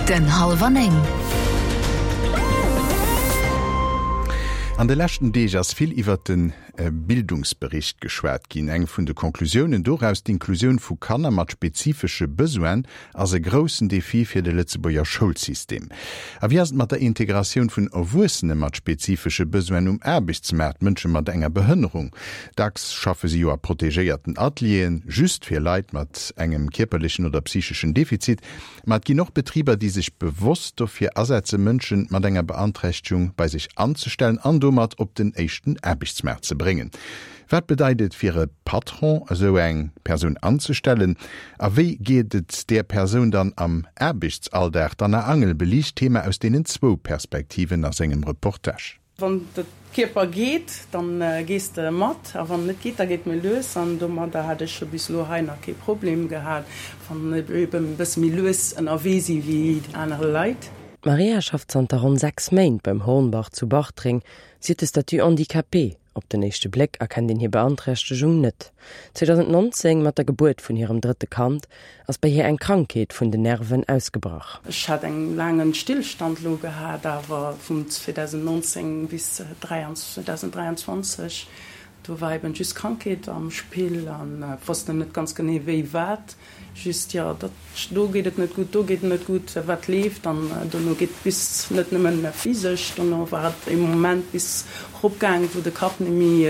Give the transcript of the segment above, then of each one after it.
Den Hallwer 9. An de leschten Deeg ass vill iwwert de Bildungsbericht geschwat ginn. Eng vun de Conclusiounen doraus, D'Inklusioun vu Kanner mat spezifesche Besoinen ass e groussen Defi fir de Lëtzebuerger Schoulsystem. A wéi ass et mat der Integratioun vun Erwuessene mat spezifesche Besoinen um Aarbechtsmaart, Mënsche mat enger Behënnerung? Dacks schaffe si jo a protegéierten Atelieren, just fir Leit mat engem kierperlechen oder psycheschen Defizit. Ma et ginn och Betriber, déi sech bewosst dofir asetzen, Mënsche mat enger Beanträchtegung bei sech anzestellen an domat op den éischten Aarbechtsmaart ze bréngen. Wat bedeit et fir e Patron, esou eng Persoun anzestellen? A wéi geet et där Persoun dann am Aarbechtsalldag? D'Anna Angel beliicht d'Thema aus deenen zwou Perspektiven a sengem Reportage. Wann de Kierper geet, dann gees de mat, a wann en net geet, da geet méi lues. An domadder hat ech jo bis elo hei nach kee Problem gehat, wann ech eben e bësse méi lues ënnerwee si wéi aner Leit. D'Maria schafft zanter ronn 6 Méint beim Hornbach zu Bartreng. Si huet de Statut handicapé. Op den éischte Bléck erkennt een hir Beanträchtegung net. 2019, mat der Gebuert vun hirem drëtte Kand, ass bei hir eng Krankheet vun den Nerven ausgebrach. Ech hat eng laangen Stillstand lo gehat, awer vun 2019 bis 2023, do war eben just Krankheet am Spill an wosst net ganz genee wéi wat. Just, jo, dat, do geet et net gutt, do geet et net gutt, wat leeft? An dono geet et bis, net nëmmen physesch, dono war et e Moment bis eropgaang, wou de Kapp net méi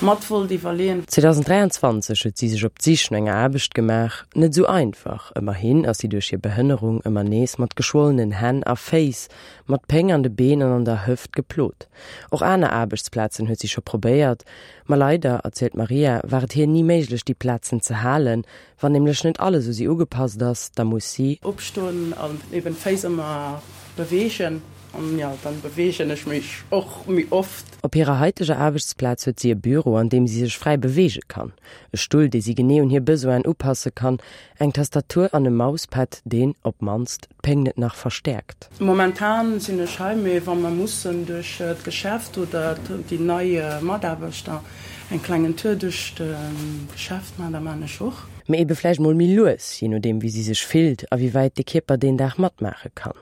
mat wollt iwwerleeën. 2023 huet si sech op d'Sich no enger Aarbecht gemaach. Net esou einfach, ëmmerhin ass si duerch hir Behënnerung ëmmer nees mat geschwollenen Hänn a Féiss, mat Péng an de Been an an der Hëft geplot. Och aner Aarbechtsplazen huet si scho probéiert, Ma leider, erzielt d'Maria, war et hir ni méiglech déi Plazen ze halen. Wann nämlech net alles u si ugepasst ass, da muss si. Opstoen an eben d'Féiss ëmmer beweegen. An jo, dann beweegen ech mech och méi oft. Op hirer haiteger Aarbechtsplaz huet si e Büro, an deem si sech fräi beweege kann, e Stull, dee si genee un hir Besoinen upasse kann, eng Tastatur an e Mauspad, deen, op d'mannst, d'Péng net nach verstäerkt. Momentan sinn ech hei, mee wa mer mussen duerch d'Geschäft oder déi nei Mataarbechter eng klengen Tour duerch d'Geschäft maachen, da maachen ech och. Mee ebe vläicht mol méi lues, jee nodeem wéi si sech fillt a wéi wäit de Kierper deen Dag matmaache kann.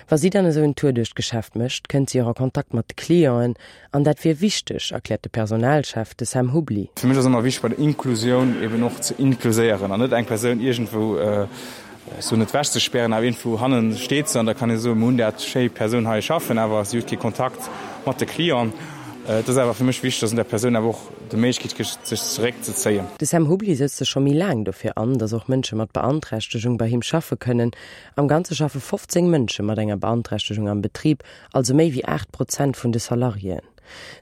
Wa si dann esou en Tour duerch d'Geschäft mécht, kënnt si och a Kontakt mat de Clienten an dat wier wichteg, erkläert de Personalchef, de Sam Hubli. Fir mech ass ëmmer wichteg bei der Inklusioun eben och ze inkluséieren an net eng Persoun iergendwou, ech soen net wechzespären, awer iergendwou hannen steet se an da kann ee soen, mir hunn dat schéi Persoun hei schaffen, awer si huet kee Kontakt mat de Clienten. Et ass awer fir mech wichteg, dass een der Persoun awer och de Méiglechkeet gëtt, sech zeréckzezéien. De Sam Hubli sëtzt sech scho méi laang dofir an, dass och Mënsche mat Beanträchtegung bei him schaffe kënnen. Am Ganze schaffe 15 Mënsche mat enger Beanträchtegung am Betrib, also méi wéi 8 Prozent vun de Salariéen.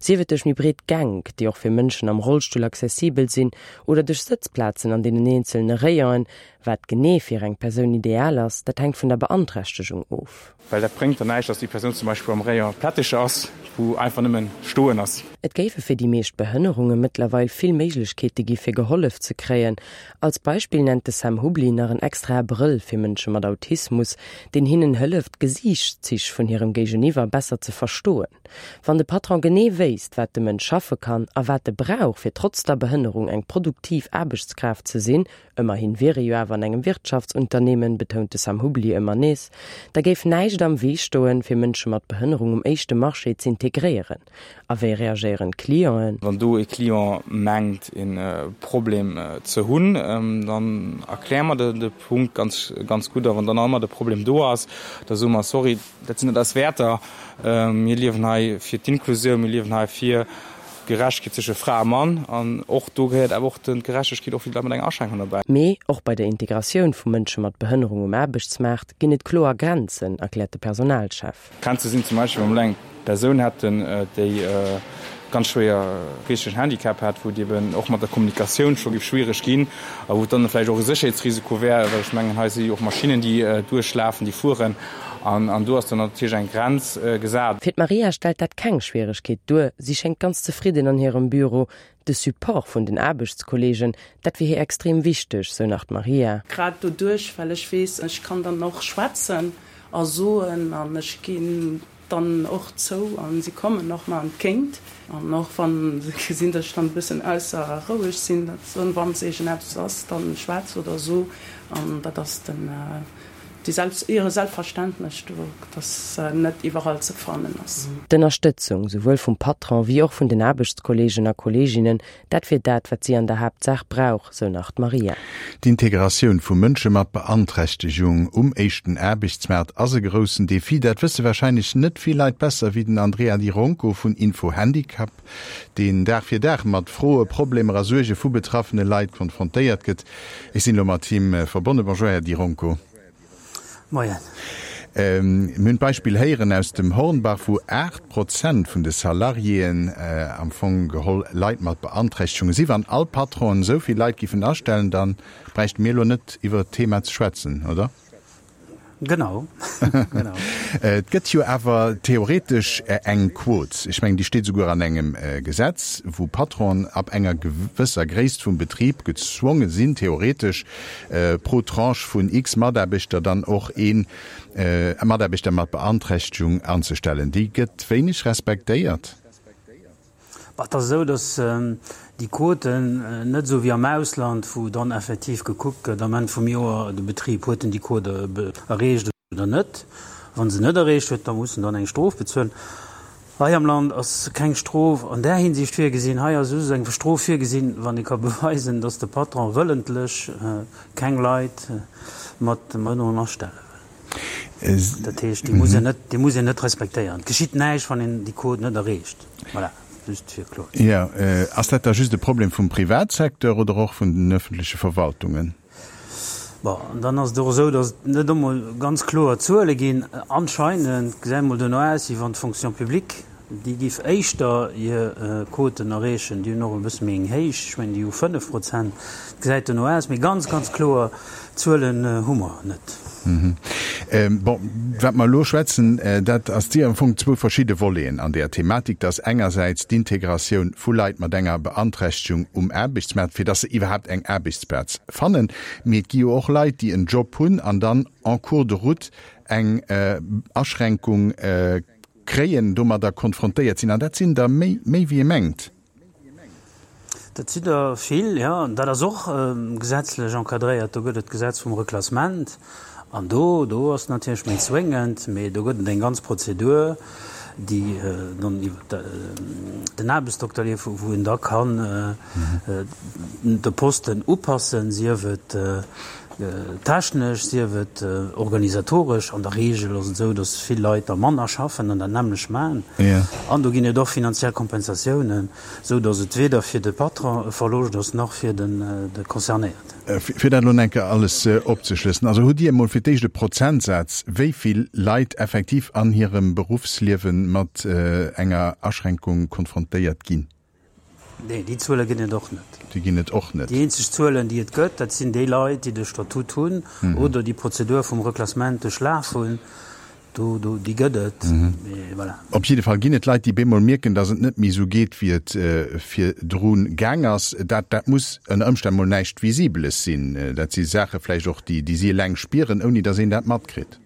Sief et duerch méi breet Gänk, déi och fir Mënschen am Rollstull accessibel sinn, oder duerch Sëtzplazen an deenen eenzelne Rayonen. Wat genee fir eng Persoun ideal ass, dat hänkt vun der Beanträchtegung of. Well dat bréngt dann näischt, dass déi Persoun zum Beispill am Rayon Plättecher ass, wou einfach nëmmen stoen ass. Et géife fir déi meescht Behënnerunge mëttlerweil vill Méiglechkeete gi fir gehollef ze kréien. Als Beispill nennt de Sam Hubli nach en extrae Brëll fir Mënsche mat Autismus, deen hinnen hëlleft, d'Gesiichtszich vun hirem Géigeniwwer besser ze verstoen. Wann de Patron genee wéisst, wat de Mënsch schaffe kann a wat e brauch, fir trotz der Behënnerung eng produktiv Aarbechtskraaft ze sinn, Ëmmerhin wier ee jo awer an engem Wirtschaftsunternehmen, betount de Sam Hubli ëmmer nees. Da géif näischt am Wee stoen, fir Mënsche mat Behënnerung um éischte Marché z'integréieren. A wéi reagéieren d'Clienten? Wann do e Client mengt e Problem ze hunn, dann erkläre mer de Punkt ganz, ganz gutt. A wann dann nach ëmmer de Problem do ass, da soe mer, sorry, dat sinn net eis Wäerter. Mir liewen hei fir d'Inklusioun, mir liewen hei fir Gerechtegkeet zwësche Fra a Mann an och do gehéiert awer och d'Gerechtegkeet och fir d'Leit mat enger Aschränkung derbäi. Mee och bei der Integratioun vu Mënsche mat Behënnerung um Aarbechtsmaart ginn et kloer Grenzen, erkläert de Personalchef. Grenze sinn zum Beispill, wa mer elo eng Persoun hätten, déi e ganz schwéier geeschtegen Handicap hätt, wou et eben och mat der Kommunikatioun scho géif schwiereg ginn a wou et dann vläicht och e Sécherheetsrisiko wär, well ech mengen, hei si jo och Maschinnen, déi duerchlafen, déi fueren. An do ass dann natierlech eng Grenz gesat. Fir d'Maria stellt dat keng Schwieregkeet duer, si schéngt ganz zefridden an hirem Büro. De Support vun den Aarbechtskolleegen, dat wier hir extrem wichteg, sou nach d'Maria. Grad doduerch, well ech weess, ech kann dann och schwätzen a soen an ech ginn dann och zou an si kommen och mer entgéint. An och wa se gesinn, datt ech dann e bëssen ausser roueg sinn, datt se soen, wann s iergendeppes ass, da schwätz oder so. An dat ass den. Déi Selbst, ihre Selbstverständnis do, dass net iwwerall ze fannen ass. D'Ënnerstëtzung, souwuel vum Patron wéi och vun den Aarbechtskolleegen a Kolleeginnen, dat wier dat, wat si an der Haaptsaach brauch, sou nach d'Maria. D'Integratioun vu Mënsche mat Beanträchtegung um éischten Aarbechtsmaart ass e groussen Defi. Dat wësse warscheinlech net vill Leit besser wéi den Andrea Di Ronco vun Info Handicap, deen Dag fir Dag mat Froe, Problemer a Suerge vu betraffene Leit konfrontéiert gëtt. Ech sinn elo mat him verbonnen. Bonjour, Här Di Ronco. Moien. Mir hunn d'Beispill héieren aus dem Hornbach, wou 8 Prozent vun de Salariéen am Fong geholl Leit mat Beanträchtegunge sinn. Wann all Patronen esou vill Leit giffen astellen, da bräichte mir elo net iwwer d'Thema ze schwätzen, oder? Genau, genau. Et gëtt jo awer theoretesch eng Quot, ech mengen, déi steet esouguer an engem Gesetz, wou Patronen ab enger gewësser Gréisst vum Betrib gezwonge sinn, theoretesch pro Tranche vun x Mataarbechter dann och ee Mataarbechter mat Beanträchtegung anzestellen. Déi gëtt wéineg respektéiert. Et ass esou, datt déi Quoten net esou wéi am Ausland, wou dann effektiv gekuckt gëtt am Enn vum Joer, de Betrib, huet en déi Quote erreecht oder net. Wa se net erreecht huet, da muss en dann eng Strof bezuelen. Hei am Land ass keng Strof an där Hinsicht virgesinn. Hei ass just eng Strof virgesinn, wann ee ka beweisen, datt de Patron wëllentlech keng Leit mat Behënnerung astelle wëll. Dat heescht, déi muss een net, déi muss een net respektéieren. Et geschitt näischt, wann een déi Quot net erreecht. Voilà, just fir kloer ze Jo, ass dat da just e Problem vum Privatsecteur oder och vun den öffentleche Verwaltungen? Bon, an dann ass et och esou, datt et net emol ganz kloer Zuele ginn. Anscheinend gesäit emol duerno aus, wéi wann d'Fonction publique, déi giff éischter hir Quoten erreechen. Déi hunn och e bësse méi eng héich, ech mengen, déi hu 5 Prozent. Et gesäit duerno aus, mee ganz, ganz kloer Zuelen hu mer net. Bon, wat mer elo schwätzen, dat ass si am Fong zwou verschidde Voleten an där Thematik. Dat ass engersäits d'Integratioun vu Leit mat enger Beanträchtegung um Aarbechtsmaart, fir dass se iwwerhaapt eng Aarbechtsplaz fannen. Mee et gi jo och Leit, déi en Job hunn an dann en cours de route eng Aschränkung kréien, domadder konfrontéiert sinn. An dat sinn der méi, méi wéi ee mengt. Dat sinn der vill, jo. An dat ass och gesetzlech encadréiert. Do gëtt et d'Gesetz vum Reklassement. An do, do ass et natierlech méi zwéngend, mee do gëtt et eng ganz Prozedur, déi dann iwwer den Aarbechtsdokter leeft, wou een da kann de Posten upassen, sief et technesch, sief et organisatoresch. An der Reegel ass et esou, datt vill Leit da manner schaffen an dat nämmlecht maachen. An do ginn et och finanziell Kompensatiounen, esou datt et weder fir de Patron e Verloscht ass, nach fir de Concernéierten. Fir dat elo enke alles opzeschlëssen, also hutt Dir emol fir d'éischt e Prozentsaz, wéi vill Leit effektiv an hirem Beruffsliewe mat enger Aschränkung konfrontéiert ginn? Nee, déi Zuele ginn et och net. Déi ginn et och net. Déi eenzeg Zuelen, déi et gëtt, dat sinn déi Leit, déi de Statut hunn oder déi Prozedur vum Reklassement duerchlaf hunn. Do, do, déi gëtt et. Mee voilà. Op jidde Fall ginn et Leit, déi bemol mierken, datt et net méi esou geet, wéi et virdru gaang ass. Dat, dat muss ënner Ëmstänn mol näischt Visibeles sinn. Dat si Saache vläicht och, déi, déi si eleng spieren, ouni datt een dat matkritt.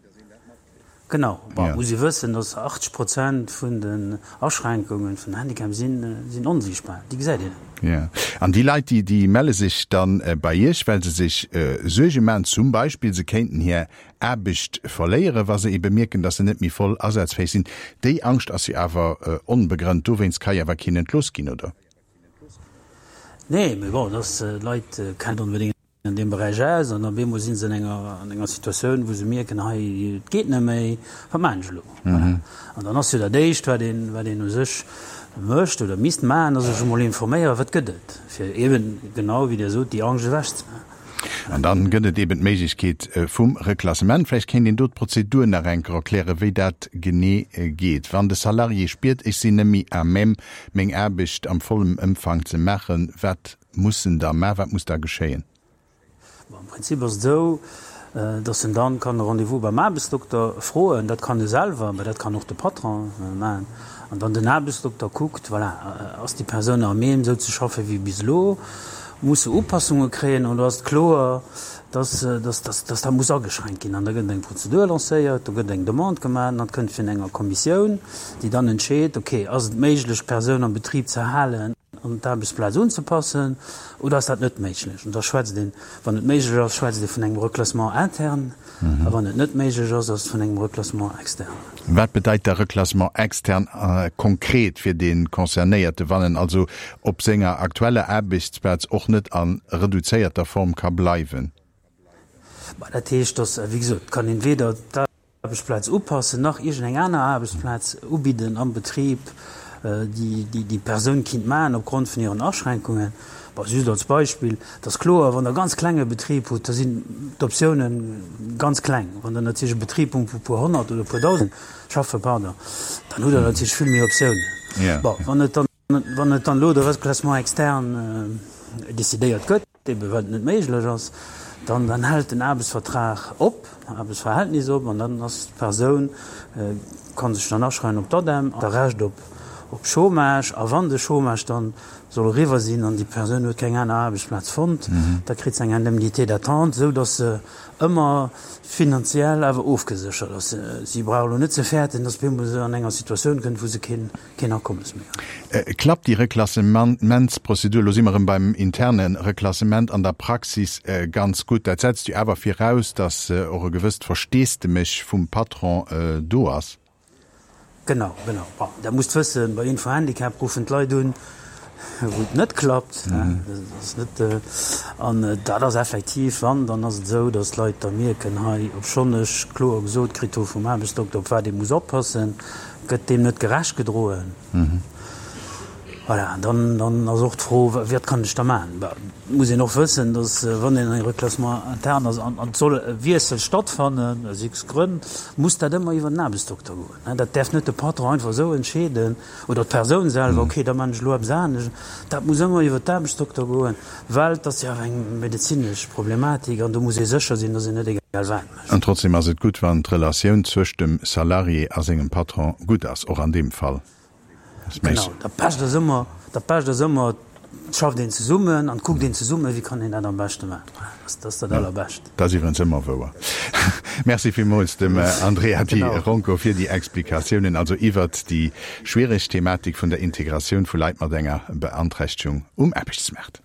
Genau. Bon, et muss ee wëssen, dass 80 Prozent vun den Aschränkungen vun Handicap sinn, sinn onsiichtbar. Déi gesäit een net. Jo. An déi Leit, déi, déi melle sech dann bei Iech, well se sech Suerge maachen, zum Beispill se kéinten hir Aarbecht verléieren, wa se ebe mierken, dass se net méi voll asazfäeg sinn. Déi Angscht ass jo awer onbegrënnt. Dowéinst ka jo awer keen entlooss ginn, oder? Nee, mee bon, dass d'Leit kennen onbedéngt an deem Beräich aus an op eemol si se an enger, an enger Situatioun, wou se mierken, hei, et geet net méi, wat maachen ech elo? Voilà. An dann ass jo dat Éischt, wat een, wat een u sech mécht oder misst maachen, ass sech emol informéieren, wat gëtt et, fir eeben genau, wéi Dir sot, déi Angscht ewechzemaachen. An dann gëtt et eeben d'Méiglechkeet vum Reklassement. Vläicht kéint een do d'Prozedur nach eng Kéier erklären, wéi dat genee geet. Wann de Salarié spiert, ech sinn net méi à même, meng Aarbecht am vollem Ëmfang ze maachen, wat Muss en da ma wat muss da geschéien? Bon, am Prinzip ass et esou, dass en dann kann e Rendez-vous beim Aarbechtsdokter froen. Dat kann e selwer, mä dat kann och de Patron maachen. An dann den Aarbechtsdokter kuckt, voilà, ass déi Persoun à même esou ze schaffen wéi bis elo? Muss se Upassunge kréien oder ass et kloer, dass, dass, dass, dass dat muss ageschränkt ginn? An da gëtt eng Prozedur lancéiert, do gëtt eng Demande gemaach an dat kënnt virun enger Kommissioun, déi dann entscheet, okay, ass et méiglech d'Persoun am Betrib ze halen? an d'Aarbechtsplaz unzepassen, oder ass dat net méiglech? An da schwätzt een, wann et méiglech ass, schwätzt ee vun engem Reclassement interne, a wann et net méiglech ass, ass et vun engem Reclassement externe. Wat bedeit da Reclassement externe konkret fir dee Concernéierte, wann en also op senger aktueller Aarbechtsplaz och net a reduzéierter Form ka bleiwen? Dat heescht, dass, wéi gesot, kann een weder d'Aarbechtsplaz upassen nach iergendeng aner Aarbechtsplaz ubidden am Betrib, déi déi Persoun kinnt maachen opgrond vun hiren Aschränkungen. Bon, just als Beispill, et ass kloer, wann Der e ganz klenge Betrib hutt, da sinn d'Optiounen ganz kleng. Wann Der natierlech e Betrib hutt, wou e puer honnert oder e puer dausend schaffen, pardon, dann hutt Der natierlech vill méi Optiounen. Bon, wann et dann Wann et dann elo de Reclassement externe decidéiert gëtt, ebe well et net méiglech ass, dann dann hält den Aarbechtsvertrag op, Aarbechtsverhältnis op, an dann ass d'Persoun, ka sech dann aschreiwen op d'ADEM, a Recht op op Chômage. A wann de Chômage dann soll eriwwer sinn an déi Persoun huet keng aner Aarbechtsplaz fonnt, da kritt se eng Indemnité d'attente, esou datt se ëmmer finanziell awer ofgeséchert ass. Si brauch elo net ze fäerten, datt op eemol se an enger Situatioun kënnt, wou se keen Keen Akommes méi huet. Klappt déi Reklassementsprozedur, elo si mer erëm beim interne Reklassement, an der Praxis ganz gutt? Dat setzt jo awer viraus, datt och e gewësst Versteesdemech vum Patron do ass. Genau, genau. Bon, Der musst wëssen, bei Info-Handicap ruffen d'Leit un, wou et net klappt. Dat ass net, an dat ass effektiv, wann, dann ass et esou, datt d'Leit da mierken, hei, obschonn ech kloer gesot kritt hu vum Aarbechtsdokter, op wat ee muss oppassen, Gëtt deem net gerecht gedroen? Voilà, dann, dann ass och d'Fro, Wat kann ech da maachen? Bah, et muss een och wëssen, datt, wann een e Reclassement interne ass an et soll e Wiessel stattfannen, aus x Grënn, muss dat ëmmer iwwer den Aarbechtsdokter goen. Dat däerf net de Patron einfach esou entscheeden oder d'Persoun selwer, okay, da maachen ech elo eppes anescht. Dat muss ëmmer iwwer d'Aarbechtsdokter goen, well et ass jo awer eng medezinesch Problematik an do muss ee sécher sinn, datt een net egal wat mécht. An trotzdem ass et gutt, wann d'Relatioun zwëscht dem Salarié a sengem Patron gutt ass, och an deem Fall. Genau, dat Bescht ass ëmmer, dat Bescht ass ëmmer, et schafft een zesummen an et kuckt een zesummen, wéi kann een dat am beschte maachen. Dat ass dat Allerbescht. Dat ass iwwerens ëmmer wouer. Merci villmools dem Andrea Di Ronco fir déi Explikatiounen, also iwwert déi schwiereg Thematik vun der Integratioun vu Leit mat enger Beanträchtegung um Aarbechtsmaart.